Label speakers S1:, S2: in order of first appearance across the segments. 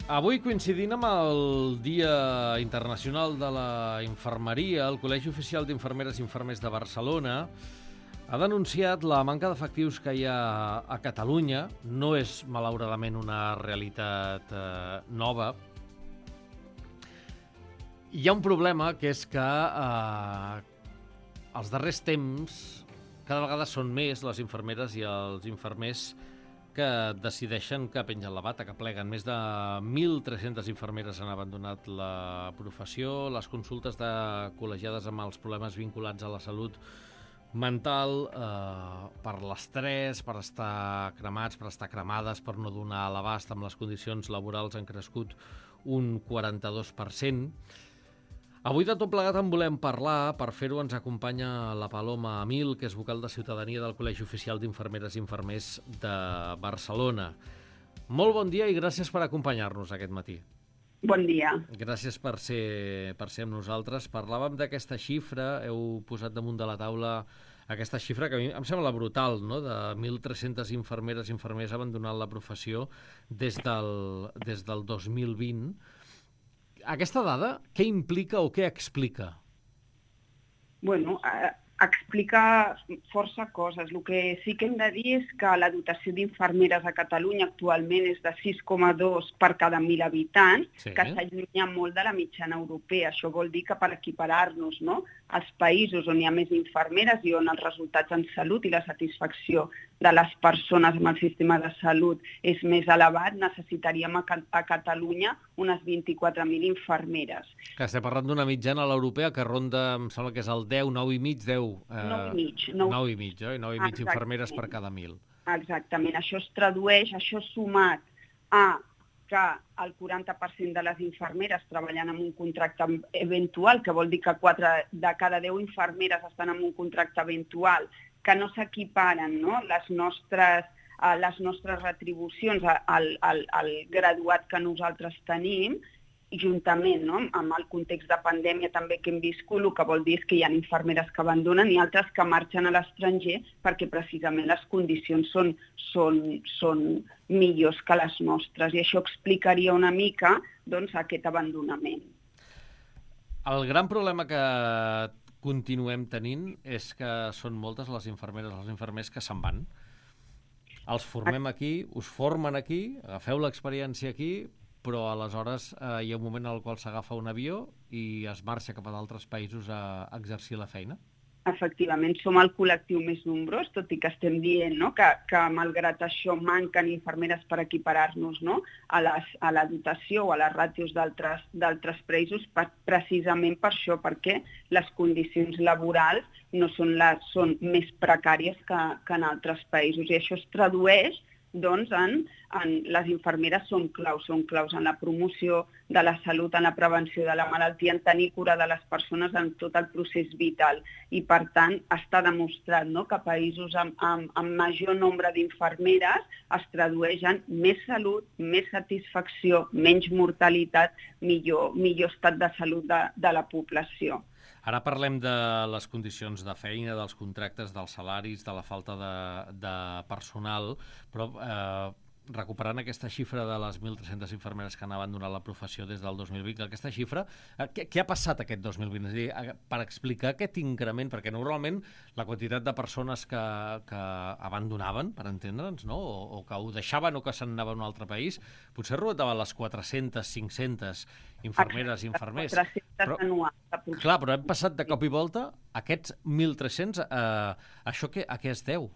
S1: Avui, coincidint amb el Dia Internacional de la Infermeria, el Col·legi Oficial d'Infermeres i Infermers de Barcelona ha denunciat la manca d'efectius que hi ha a Catalunya. No és, malauradament, una realitat nova. Hi ha un problema, que és que als darrers temps cada vegada són més les infermeres i els infermers que decideixen que pengen la bata, que pleguen. Més de 1.300 infermeres han abandonat la professió. Les consultes de col·legiades amb els problemes vinculats a la salut mental, per l'estrès, per estar cremats, per estar cremades, per no donar a l'abast amb les condicions laborals, han crescut un 42%. Avui de tot plegat en volem parlar. Per fer-ho ens acompanya la Paloma Amil, que és vocal de Ciutadania del Col·legi Oficial d'Infermeres i Infermers de Barcelona. Molt bon dia i gràcies per acompanyar-nos aquest matí.
S2: Bon dia.
S1: Gràcies per ser amb nosaltres. Parlàvem d'aquesta xifra, heu posat damunt de la taula aquesta xifra que a mi em sembla brutal, no? De 1.300 infermeres i infermers abandonant la professió des del 2020. Aquesta dada, què implica o què explica?
S2: Bueno, explica força coses. El que sí que hem de dir és que la dotació d'infermeres a Catalunya actualment és de 6,2 per cada 1.000 habitants, sí, que s'allunya molt de la mitjana europea. Això vol dir que per equiparar-nos, no, als països on hi ha més infermeres i on els resultats en salut i la satisfacció de les persones amb el sistema de salut és més elevat, necessitaríem a Catalunya unes 24.000 infermeres.
S1: Que estem parlant d'una mitjana a l'europea que ronda, em sembla que és el 10, 9,5, 10... 9,5, 9,5 infermeres per cada 1.000.
S2: Exactament. Això es tradueix, això sumat a que el 40% de les infermeres treballen amb un contracte eventual, que vol dir que 4 de cada 10 infermeres estan en un contracte eventual, que no s'equiparen, no, les nostres retribucions al graduat que nosaltres tenim, i juntament, no, amb el context de pandèmia també que hem viscut, el que vol dir és que hi ha infermeres que abandonen i altres que marxen a l'estranger perquè precisament les condicions són millors que les nostres, i això explicaria una mica, doncs, aquest abandonament.
S1: El gran problema que continuem tenint és que són moltes les infermeres, els infermers que se'n van. Els formem aquí, us formen aquí, agafeu l'experiència aquí, però aleshores hi ha un moment en el qual s'agafa un avió i es marxa cap a d'altres països a exercir la feina?
S2: Efectivament, som el col·lectiu més nombrós, tot i que estem dient, no, que malgrat això manquen infermeres per equiparar-nos, no, a la dotació o a les ràtios d'altres països, precisament per això, perquè les condicions laborals són més precàries que en altres països, i això es tradueix, doncs, les infermeres són claus en la promoció de la salut, en la prevenció de la malaltia, en tenir cura de les persones en tot el procés vital. I, per tant, està demostrat, no, que països amb major nombre d'infermeres es tradueix en més salut, més satisfacció, menys mortalitat, millor estat de salut de la població.
S1: Ara parlem de les condicions de feina, dels contractes, dels salaris, de la falta de personal, però recuperant aquesta xifra de les 1.300 infermeres que han abandonat la professió des del 2020, aquesta xifra, què ha passat aquest 2020? És a dir, per explicar aquest increment, perquè normalment la quantitat de persones que abandonaven, per entendre'ns, no? O que ho deixaven o que se'n anaven a un altre país, potser rondava les 400, 500 infermeres i infermers.
S2: 400 anuals.
S1: Clar, però hem passat de cop i volta aquests 1.300, això a què es deu?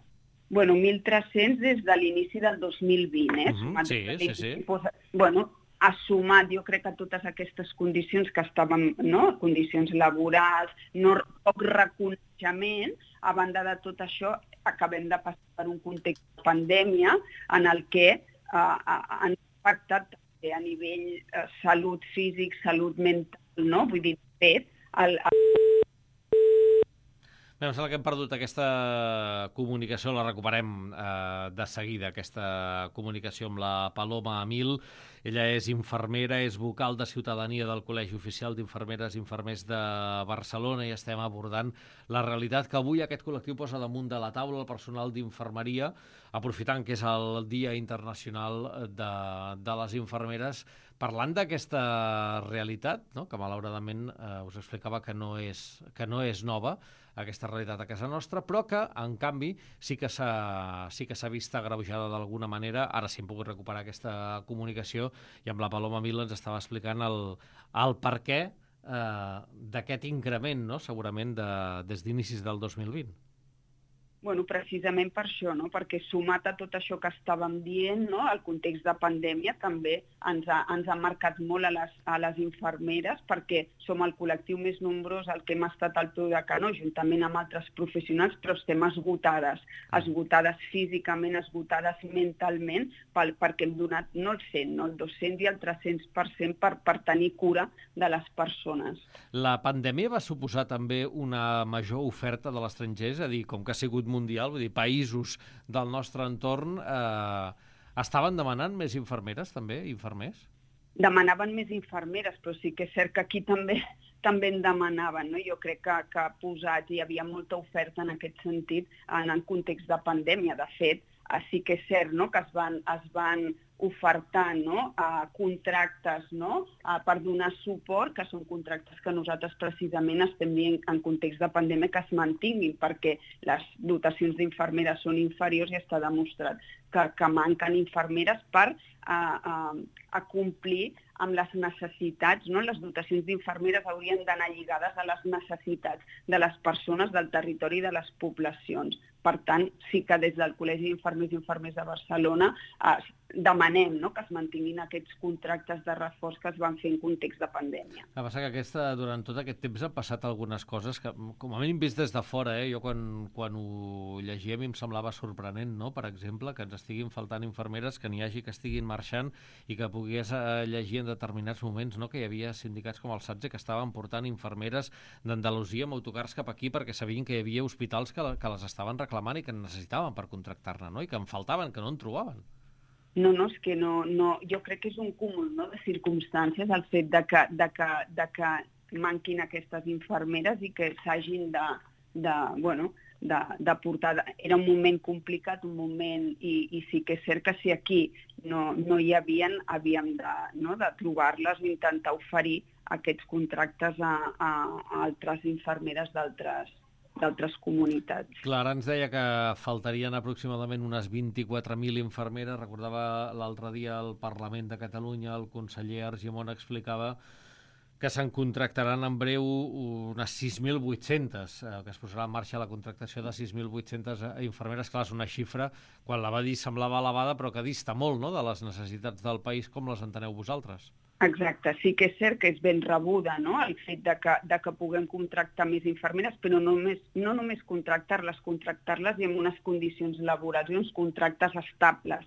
S2: Bueno, 1.300 des de l'inici del 2020,
S1: Sí.
S2: Bueno, ha sumat, jo crec que totes aquestes condicions que estàvem, no?, condicions laborals, poc reconeixement, a banda de tot això, acabem de passar per un context de pandèmia en el que han impactat també a nivell salut físic, salut mental, no? Vull dir, de fet,
S1: Bé, em sembla que hem perdut aquesta comunicació, la recuperem de seguida, aquesta comunicació amb la Paloma Amil. Ella és infermera, és vocal de Ciutadania del Col·legi Oficial d'Infermeres i Infermers de Barcelona, i estem abordant la realitat que avui aquest col·lectiu posa damunt de la taula, el personal d'infermeria, aprofitant que és el Dia Internacional de les Infermeres, Parlant d'aquesta realitat, no? Que malauradament us explicava que no és nova, aquesta realitat a casa nostra, però que, en canvi, sí que s'ha vist agreujada d'alguna manera. Ara sí hem pogut recuperar aquesta comunicació i amb la Paloma Mil ens estava explicant el per què d'aquest increment, no? Segurament des d'inicis del 2020.
S2: Bueno, precisament per això, no? Perquè sumat a tot això que estàvem dient, no? El context de pandèmia també ens ha marcat molt a les infermeres, perquè som el col·lectiu més nombrós al que hem estat al peu de canó, juntament amb altres professionals, però estem esgotades físicament, esgotades mentalment, perquè hem donat no el 100, no el 200 i el 300% per tenir cura de les persones.
S1: La pandèmia va suposar també una major oferta de l'estranger, és a dir, com que ha sigut mundial, vull dir, països del nostre entorn estaven demanant més infermeres, també, infermers?
S2: Demanaven més infermeres, però sí que és cert que aquí també en demanaven, no? Jo crec que posats hi havia molta oferta en aquest sentit en el context de pandèmia. De fet, sí que és cert, no? Que es van ofertar, no? Contractes, no? Per donar suport, que són contractes que nosaltres precisament estem dient en context de pandèmia que es mantinguin, perquè les dotacions d'infermeres són inferiors i està demostrat que manquen infermeres per complir amb les necessitats, no? Les dotacions d'infermeres haurien d'anar lligades a les necessitats de les persones del territori i de les poblacions. Per tant, sí que des del Col·legi d'Infermers i Infermers de Barcelona demanem, no? Que es mantinguin aquests contractes de reforç que es van fer en context de pandèmia.
S1: El que passa que durant tot aquest temps han passat algunes coses que, com a mínim vist des de fora, jo quan ho llegia a mi em semblava sorprenent, no? Per exemple, que ens estiguin faltant infermeres, que n'hi hagi que estiguin marxant i que pogués llegir en determinats moments, no? Que hi havia sindicats com el SATSE que estaven portant infermeres d'Andalusia amb autocars cap aquí perquè sabien que hi havia hospitals que les estaven reclamant i que necessitaven per contractar-ne, no? I que en faltaven, que no en trobaven.
S2: No, és que no, jo crec que és un cúmul, no? De circumstàncies el fet de que manquin aquestes infermeres i que s'hagin de portar. Era un moment complicat, un moment, i sí que és cert que si aquí no hi havien, havíem de trobar-les i intentar oferir aquests contractes a altres infermeres d'altres comunitats.
S1: Clar, ens deia que faltarien aproximadament unes 24.000 infermeres. Recordava l'altre dia al Parlament de Catalunya, el conseller Argimon explicava que se'n contractaran en breu unes 6.800, que es posarà en marxa la contractació de 6.800 infermeres. Clar, és una xifra, quan la va dir semblava elevada, però que dista molt, no?, de les necessitats del país. Com les enteneu vosaltres?
S2: Exacte, sí que és cert que és ben rebuda, no?, el fet de que puguem contractar més infermeres, però no només contractar-les i amb unes condicions laborals i uns contractes estables.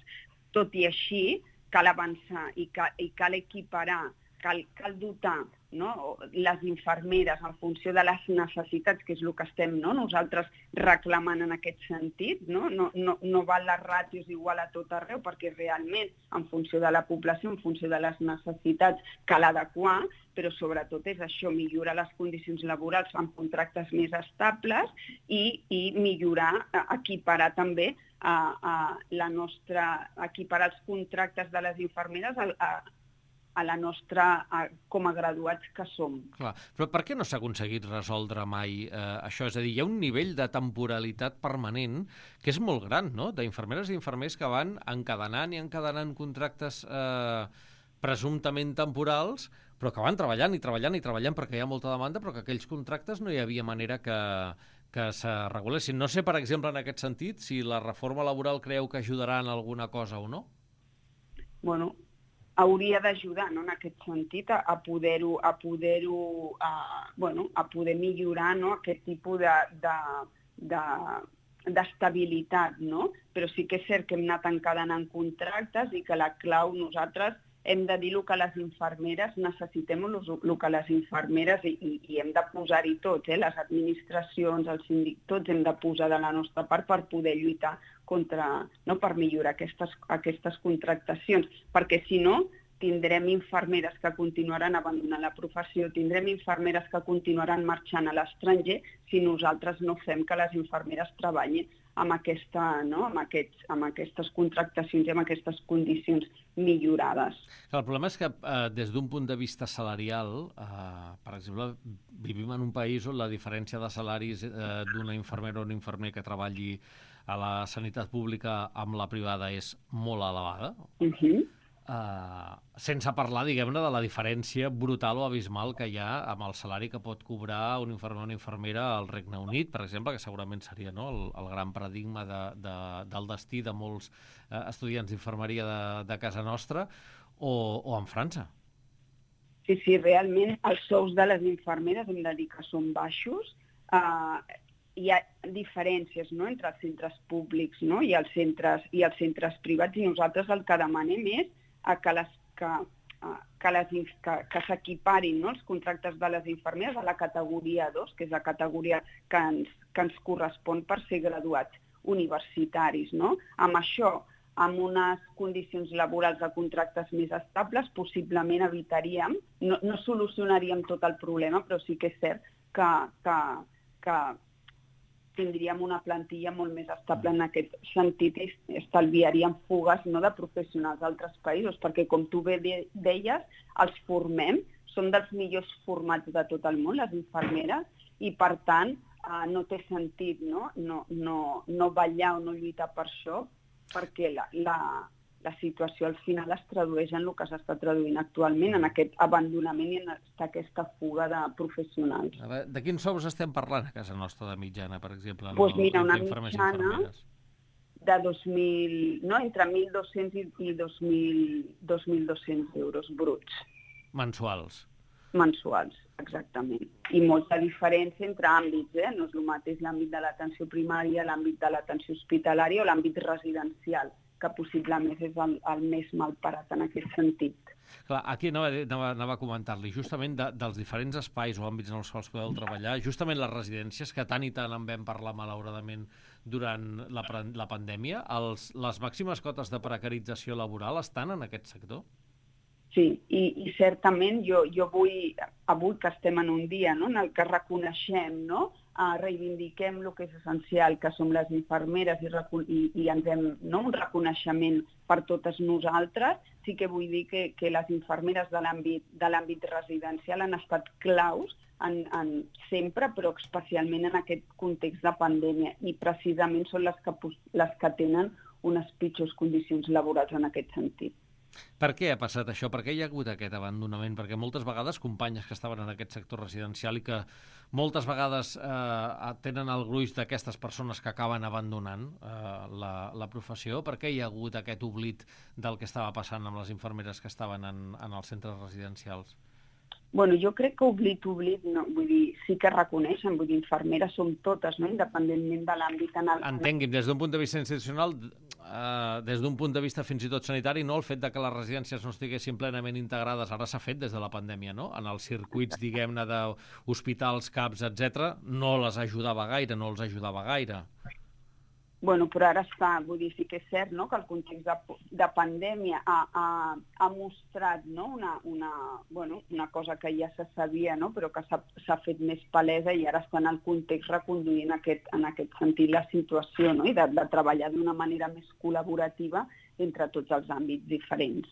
S2: Tot i així, cal avançar i cal equiparar, cal dotar, no?, les infermeres en funció de les necessitats, que és el que estem, no?, nosaltres reclamant en aquest sentit, no? No val les ràtios igual a tot arreu, perquè realment, en funció de la població, en funció de les necessitats, cal adequar, però sobretot és això, millorar les condicions laborals amb contractes més estables i millorar, equiparar també equiparar els contractes de les infermeres a la nostra, com a graduats que som.
S1: Clar, però per què no s'ha aconseguit resoldre mai això? És a dir, hi ha un nivell de temporalitat permanent que és molt gran, no?, d'infermeres i infermers que van encadenant contractes presumptament temporals, però que van treballant perquè hi ha molta demanda, però que aquells contractes no hi havia manera que se regulessin. No sé, per exemple, en aquest sentit, si la reforma laboral creu que ajudarà en alguna cosa o no?
S2: Bueno, hauria d'ajudar, no?, en aquest sentit, a poder millorar, no?, aquest tipus d'estabilitat, no? Però sí que és cert que hem anat encadenant contractes i que la clau nosaltres hem de dir el que les infermeres necessitem, el que les infermeres, i hem de posar-hi tots, les administracions, els síndics, tots hem de posar de la nostra part per poder lluitar per millorar aquestes contractacions, perquè si no tindrem infermeres que continuaran abandonant la professió, tindrem infermeres que continuaran marxant a l'estranger si nosaltres no fem que les infermeres treballin amb aquestes contractacions i amb aquestes condicions millorades.
S1: El problema és que des d'un punt de vista salarial, per exemple, vivim en un país on la diferència de salaris d'una infermera o un infermer que treballi a la sanitat pública amb la privada és molt elevada. Sense parlar, diguem-ne, de la diferència brutal o abismal que hi ha amb el salari que pot cobrar un infermer o una infermera al Regne Unit, per exemple, que segurament seria el gran paradigma del destí de molts estudiants d'infermeria de casa nostra, o en França.
S2: Sí, realment els sous de les infermeres hem de dir que són baixos. Hi ha diferències, no?, entre els centres públics, no?, i els centres privats, i nosaltres el que demanem és que s'equiparin, no?, els contractes de les infermeres a la categoria 2, que és la categoria que ens correspon per ser graduats universitaris, no? Amb això, amb unes condicions laborals de contractes més estables, possiblement evitaríem, no solucionaríem tot el problema, però sí que és cert que tindríem una plantilla molt més estable en aquest sentit i estalviaríem fugues, no?, de professionals d'altres països, perquè, com tu bé deies, els formem, són dels millors formats de tot el món, les infermeres, i, per tant, no té sentit, no ballar o no lluitar per això, perquè la situació al final es tradueix en el que s'està traduint actualment, en aquest abandonament i en aquesta fuga de professionals.
S1: De quins sous estem parlant a casa nostra de mitjana, per exemple?
S2: Doncs mira, una mitjana de 2.000, no? Entre 1.200 i 2.200 euros bruts.
S1: Mensuals.
S2: Mensuals, exactament. I molta diferència entre àmbits, no és el mateix l'àmbit de l'atenció primària, l'àmbit de l'atenció hospitalària o l'àmbit residencial, que possiblement és el més malparat en aquest sentit.
S1: Clar, aquí anava a comentar-li, justament dels diferents espais o àmbits en els quals podeu treballar, justament les residències, que tant i tant en vam parlar malauradament durant la pandèmia, les màximes cotes de precarització laboral estan en aquest sector?
S2: Sí, i certament jo vull, avui que estem en un dia, no?, en el que reconeixem, no?, reivindiquem el que és essencial, que som les infermeres, i ens hem, no?, un reconeixement per totes nosaltres. Sí que vull dir que les infermeres de l'àmbit residencial han estat claus sempre, però especialment en aquest context de pandèmia, i precisament són les que tenen unes pitjors condicions laborals en aquest sentit.
S1: Per què ha passat això? Per què hi ha hagut aquest abandonament? Perquè moltes vegades companyes que estaven en aquest sector residencial i que moltes vegades tenen el gruix d'aquestes persones que acaben abandonant la professió, per què hi ha hagut aquest oblit del que estava passant amb les infermeres que estaven en els centres residencials?
S2: Bueno, jo crec que oblit, no, vull dir, sí que reconeixen, vull dir, infermeres som totes, no?, independentment de l'àmbit en el...
S1: Entengui'm, des d'un punt de vista institucional, des d'un punt de vista fins i tot sanitari, no?, el fet de que les residències no estiguessin plenament integrades, ara s'ha fet des de la pandèmia, no?, en els circuits, diguem-ne, d'hospitals, CAPs, etc., no les ajudava gaire, no els ajudava gaire.
S2: Bueno, però ara està, vull dir, sí que és cert, no?, que el context de pandèmia ha mostrat, no?, una cosa que ja se sabia, no?, però que s'ha fet més palesa, i ara està en el context reconduint en aquest sentit la situació, no?, i de treballar d'una manera més col·laborativa entre tots els àmbits diferents.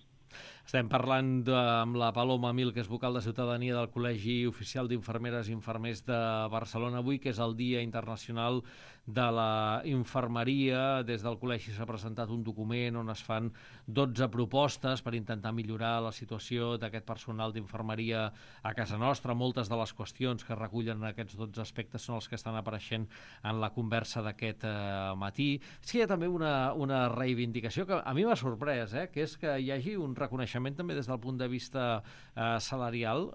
S1: Estem parlant amb la Paloma Mil, que és vocal de Ciutadania del Col·legi Oficial d'Infermeres i Infermers de Barcelona avui, que és el Dia Internacional de la Infermeria. Des del col·legi s'ha presentat un document on es fan 12 propostes per intentar millorar la situació d'aquest personal d'infermeria a casa nostra. Moltes de les qüestions que recullen aquests 12 aspectes són els que estan apareixent en la conversa d'aquest matí. Sí, hi ha també una reivindicació que a mi m'ha sorprès, que és que hi hagi un reconeixement també des del punt de vista salarial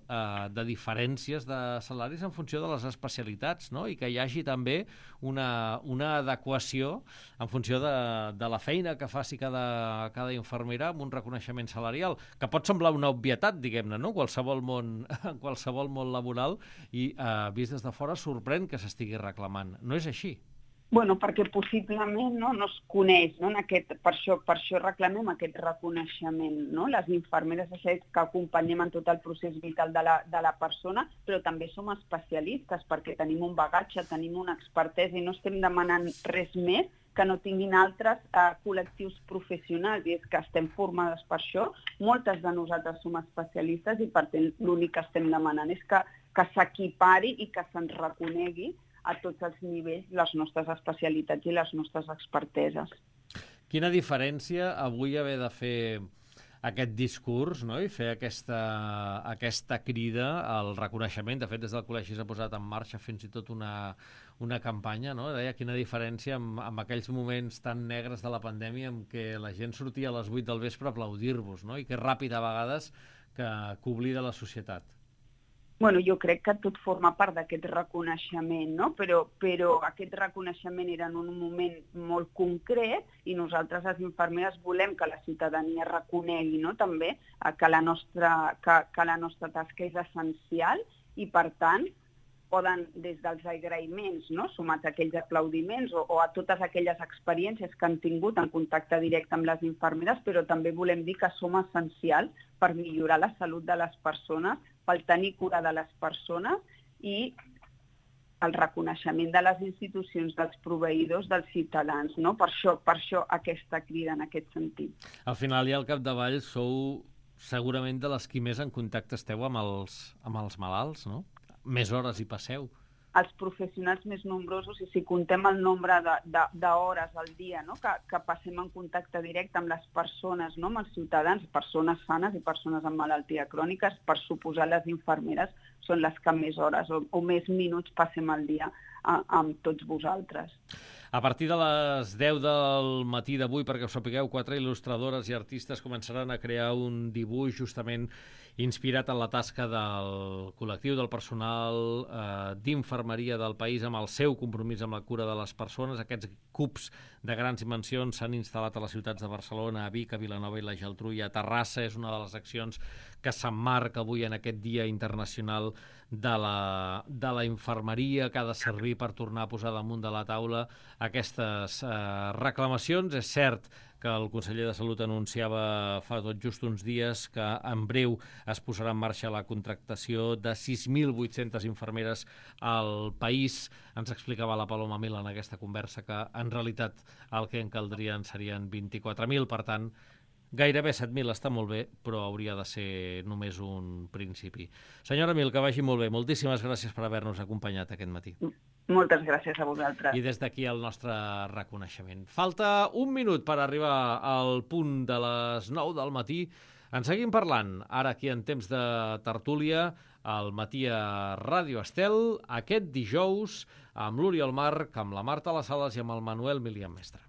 S1: de diferències de salaris en funció de les especialitats, no? I que hi hagi també una adequació en funció de la feina que faci cada infermera amb un reconeixement salarial, que pot semblar una obvietat, diguem-ne, no? En qualsevol món laboral, i vist des de fora sorprèn que s'estigui reclamant. No és així.
S2: Bueno, perquè possiblement no es coneix, no? Per això reclamem aquest reconeixement. No? Les infermeres que acompanyem en tot el procés vital de la persona, però també som especialistes perquè tenim un bagatge, tenim una expertesa i no estem demanant res més que no tinguin altres col·lectius professionals, i és que estem formades per això. Moltes de nosaltres som especialistes i per tant l'únic que estem demanant és que s'equipari i que se'ns reconegui a tots els nivells les nostres especialitats i les nostres experteses.
S1: Quina diferència avui haver de fer aquest discurs, no? I fer aquesta crida al reconeixement. De fet, des del col·legi s'ha posat en marxa fins i tot una campanya, no? Deia quina diferència amb aquells moments tan negres de la pandèmia en què la gent sortia a les 8 del vespre a aplaudir-vos, no? I que ràpid a vegades que oblida la societat.
S2: Bueno, jo crec que tot forma part d'aquest reconeixement, no? Però aquest reconeixement era en un moment molt concret i nosaltres, les infermeres, volem que la ciutadania reconegui, no? També que la nostra tasca és essencial i, per tant, poden, des dels agraïments, no? Sumats a aquells aplaudiments o a totes aquelles experiències que han tingut en contacte directe amb les infermeres, però també volem dir que som essencials per millorar la salut de les persones, per tenir cura de les persones i el reconeixement de les institucions, dels proveïdors, dels ciutadans. No? Per això aquesta crida en aquest sentit.
S1: Al final i al capdavall sou segurament de les qui més en contacte esteu amb els malalts, no? Més hores hi passeu.
S2: Els professionals més nombrosos, i si contem el nombre d'hores al dia, no? que passem en contacte directe amb les persones, no? Amb els ciutadans, persones sanes i persones amb malaltia cròniques, per suposar les infermeres són les que més hores o més minuts passem al dia amb tots vosaltres.
S1: A partir de les 10 del matí d'avui, perquè ho sapigueu, 4 il·lustradores i artistes començaran a crear un dibuix justament inspirat en la tasca del col·lectiu del personal d'infermeria del país amb el seu compromís amb la cura de les persones. Aquests cubs de grans dimensions s'han instal·lat a les ciutats de Barcelona, a Vic, a Vilanova i la Geltrú i a Terrassa. És una de les accions que s'emmarca avui en aquest Dia Internacional de la Infermeria, que ha de servir per tornar a posar damunt de la taula aquestes reclamacions. És cert que el conseller de Salut anunciava fa tot just uns dies que en breu es posarà en marxa la contractació de 6.800 infermeres al país. Ens explicava la Paloma Mil en aquesta conversa que en realitat el que en caldrien serien 24.000, per tant, gairebé 7.000 està molt bé, però hauria de ser només un principi. Senyora Mil, que vagi molt bé. Moltíssimes gràcies per haver-nos acompanyat aquest matí.
S2: Moltes gràcies a vosaltres.
S1: I des d'aquí el nostre reconeixement. Falta un minut per arribar al punt de les 9 del matí. En seguim parlant, ara aquí en temps de tertúlia, al matí a Ràdio Estel, aquest dijous, amb l'Oriol Marc, amb la Marta Las Sales i amb el Manuel Milian Mestre.